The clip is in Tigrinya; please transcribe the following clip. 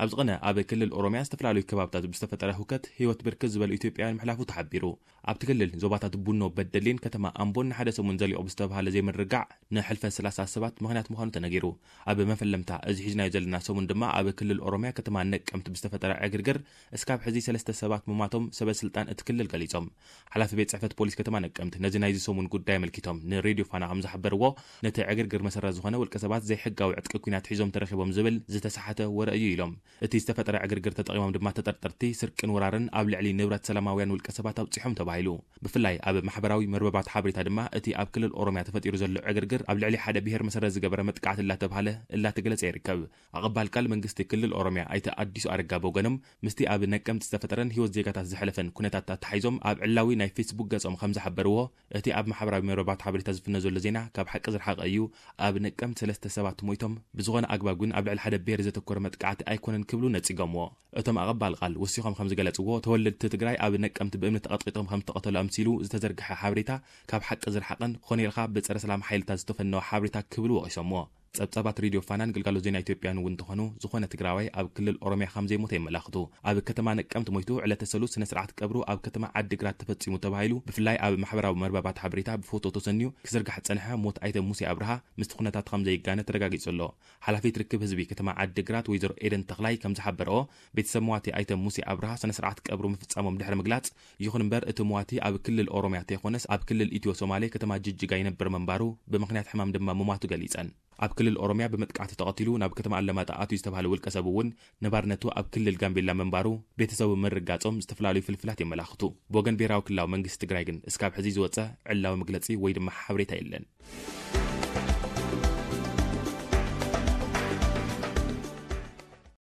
ኣብዚ ቐነ ኣብ ክልል ኦሮምያ ዝተፈላለዩ ከባብታት ብዝተፈጠረ ህውከት ህይወት ብርክት ዝበሉ ኢትዮጵያውያን ምሕላፉ ተሓቢሩ። ኣብቲ ክልል ዞባታት ቡኖ በደሌን ከተማ ኣምቦን ንሓደ ሰሙን ዘሊቑ ብዝተባሃለ ዘይምርግጋእ ንሕልፈት ሰላሳ ሰባት ምኽንያት ምዃኑ ተነጊሩ። ኣብ መፈለምታ እዚ ሒዝናዮ ዘለና ሰሙን ድማ ኣብ ክልል ኦሮምያ ከተማ ነቀምት ብዝተፈጠረ ዕግርግር እስካብ ሕዚ ሰለስተ ሰባት ምሟቶም ሰበ ስልጣን እቲ ክልል ገሊጾም። ሓላፊ ቤት ጽሕፈት ፖሊስ ከተማ ነቀምት ነዚ ናይዚ ሰሙን ጉዳይ ኣመልኪቶም ንሬድዮ ፋና ከም ዝሓበርዎ፣ ነቲ ዕግርግር መሰረት ዝኾነ ውልቀ ሰባት ዘይሕጋዊ ዕጥቂ ኲናት ሒዞም ተረኺቦም ዝብል ዝተሰሓተ ወረ እዩ ኢሎም። እቲ ዝተፈጠረ ዕግርግር ተጠቒሞም ድማ ተጠርጠርቲ ስርቅን ወራርን ኣብ ልዕሊ ንብረት ሰላማውያን ውልቀ ሰባት ኣብጺሖም ተባሂሉ። ብፍላይ ኣብ ማሕበራዊ መርበባት ሓበሬታ ድማ እቲ ኣብ ክልል ኦሮምያ ተፈጢሩ ዘሎ ዕግርግር ኣብ ልዕሊ ሓደ ብሄር መሰረት ዝገበረ መጥቃዕቲ እላተባሃለ እላተገለጸ ይርከብ። ኣቐባል ቃል መንግስቲ ክልል ኦሮምያ ኣይተ ኣዲሱ ኣረጋ በወገኖም፣ ምስቲ ኣብ ነቀምት ዝተፈጠረን ህይወት ዜጋታት ዝሐለፈን ኩነታት ኣተሓሒዞም ኣብ ዕላዊ ናይ ፌስቡክ ገጾም ከም ዝሓበርዎ፣ እቲ ኣብ ማሕበራዊ መርበባት ሓበሬታ ዝፍነ ዘሎ ዜና ካብ ሓቂ ዝረሓቐ እዩ። ኣብ ነቀምት ሰለስተ ሰባት ሞይቶም፣ ብዝኾነ ኣግባብ ግን ኣብ ልዕሊ ሓደ ብሄር ዘተኮረ መጥቃዕቲ ኣይኮነን ክብሉ ነጺጎምዎ። እቶም ኣቐባል ቃል ወሲኾም ከም ዝገለጽዎ፣ ተወለድቲ ትግራይ ኣብ ነቀምት ብእምኒ ተቐጥቂጦም ከም ዝተቐተሉ ኣምሲሉ ዝተዘርግሐ ሓበሬታ ካብ ሓቂ ዝረሓቐን ኮነ ኢልካ ብጸረ ሰላም ሓይልታት ዝተፈነወ ሓበሬታ ክብሉ ወቒሶምዎ። ጸብጻባት ሬድዮ ፋናን ግልጋሎት ዜና ኢትዮጵያን እውን እንተኾኑ፣ ዝኾነ ትግራዋይ ኣብ ክልል ኦሮምያ ከም ዘይሞተ የመላኽቱ። ኣብ ከተማ ነቀምት ሞይቱ ዕለተ ሰሉስ ስነ ስርዓት ቀብሩ ኣብ ከተማ ዓዲግራት ተፈጺሙ ተባሂሉ፣ ብፍላይ ኣብ ማሕበራዊ መርበባት ሓበሬታ ብፎቶ ተሰንዩ ክዝርጋሕ ዝጸንሐ ሞት ኣይተ ሙሴ ኣብርሃ ምስቲ ኩነታት ከም ዘይጋነ ተረጋጊጹ ኣሎ። ሓላፊት ርክብ ህዝቢ ከተማ ዓዲግራት ወይዘሮ ኤደን ተኽላይ ከም ዝሓበረኦ፣ ቤተሰብ መዋቲ ኣይተ ሙሴ ኣብርሃ ስነ ስርዓት ቀብሩ ምፍጻሞም ድሕሪ ምግላጽ፣ ይኹን እምበር እቲ መዋቲ ኣብ ክልል ኦሮምያ ተይኮነስ ኣብ ክልል ኢትዮ ሶማሌ ከተማ ጅጅጋ ይነብር ምንባሩ፣ ብምኽንያት ሕማም ድማ ምሟቱ ገሊጸን። ኣብ ክልል ኦሮምያ ብመጥቃዕቲ ተቐቲሉ ናብ ከተማ ኣለማጣ ኣትዩ ዝተባህለ ውልቀ ሰብ እውን ነባርነቱ ኣብ ክልል ጋምቤላ ምንባሩ ቤተሰቡ ምርጋጾም ዝተፈላለዩ ፍልፍላት የመላኽቱ። ብወገን ብሄራዊ ክልላዊ መንግስቲ ትግራይ ግን እስካብ ሕዚ ዝወጸ ዕላዊ መግለጺ ወይ ድማ ሓበሬታ የለን።